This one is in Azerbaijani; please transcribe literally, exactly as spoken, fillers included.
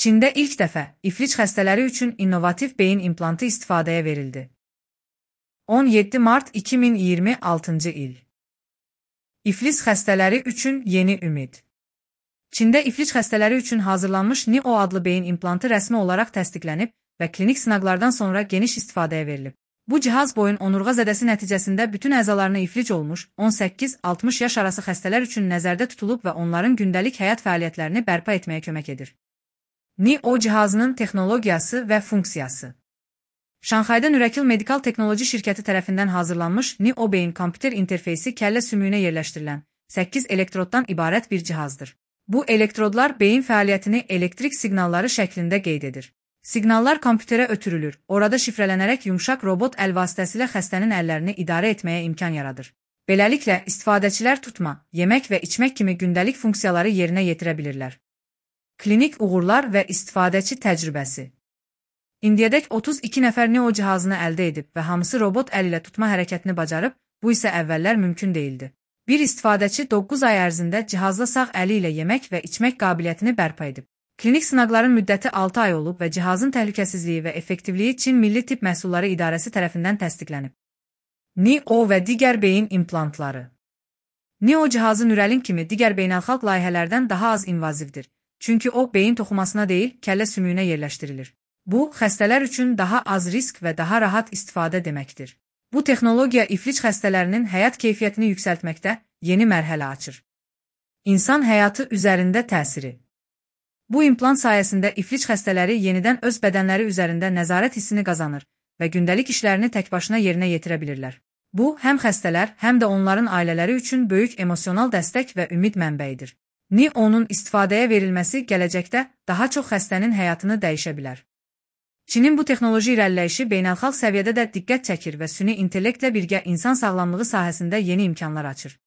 Çində ilk dəfə iflic xəstələri üçün innovativ beyin implantı istifadəyə verildi. on yeddi mart iki min iyirmi altıncı il. İflic xəstələri üçün yeni ümid. Çində iflic xəstələri üçün hazırlanmış N I O adlı beyin implantı rəsmi olaraq təsdiqlənib və klinik sınaqlardan sonra geniş istifadəyə verilib. Bu cihaz boyun onurğa zədəsi nəticəsində bütün əzalarını iflic olmuş on səkkiz altmış yaş arası xəstələr üçün nəzərdə tutulub və onların gündəlik həyat fəaliyyətlərini bərpa etməyə kömək edir. N I O cihazının texnologiyası və funksiyası. Şanxayda Nürəkil Medikal Texnoloji şirkəti tərəfindən hazırlanmış N I O beyin kompüter interfeysi kəllə sümüyünə yerləşdirilən səkkiz elektroddan ibarət bir cihazdır. Bu elektrodlar beyin fəaliyyətini elektrik siqnalları şəklində qeyd edir. Siqnallar kompüterə ötürülür, orada şifrələnərək yumşaq robot əl vasitəsilə xəstənin əllərini idarə etməyə imkan yaradır. Beləliklə, istifadəçilər tutma, yemək və içmək kimi gündəlik funksiyaları yerinə yetirə bilirlər. Klinik uğurlar və istifadəçi təcrübəsi. İndiyədək otuz iki nəfər N I O cihazını əldə edib və hamısı robot əl ilə tutma hərəkətini bacarıb, bu isə əvvəllər mümkün değildi. Bir istifadəçi doqquz ay ərzində cihazla sağ əli ilə yemək və içmək qabiliyyətini bərpa edib. Klinik sınaqların müddəti altı ay olub və cihazın təhlükəsizliyi və effektivliyi Çin Milli Tibb Məhsulları İdarəsi tərəfindən təsdiqlənib. N I O və digər beyin implantları. N I O cihazı Nürəlin kimi digər beynəlxalq layihələrdən daha az invazivdir, çünki o beyin toxumasına deyil, kəllə sümüyünə yerləşdirilir. Bu, xəstələr üçün daha az risk və daha rahat istifadə deməkdir. Bu texnologiya iflic xəstələrinin həyat keyfiyyətini yüksəltməkdə yeni mərhələ açır. İnsan həyatı üzərində təsiri. Bu implant sayəsində iflic xəstələri yenidən öz bədənləri üzərində nəzarət hissini qazanır və gündəlik işlərini təkbaşına yerinə yetirə bilirlər. Bu, həm xəstələr, həm də onların ailələri üçün böyük emosional dəstək və ümid mənbəyidir. N I O-nun istifadəyə verilməsi gələcəkdə daha çox xəstənin həyatını dəyişə bilər. Çinin bu texnoloji irəliləyişi beynəlxalq səviyyədə də diqqət çəkir və süni intellektlə birgə insan sağlamlığı sahəsində yeni imkanlar açır.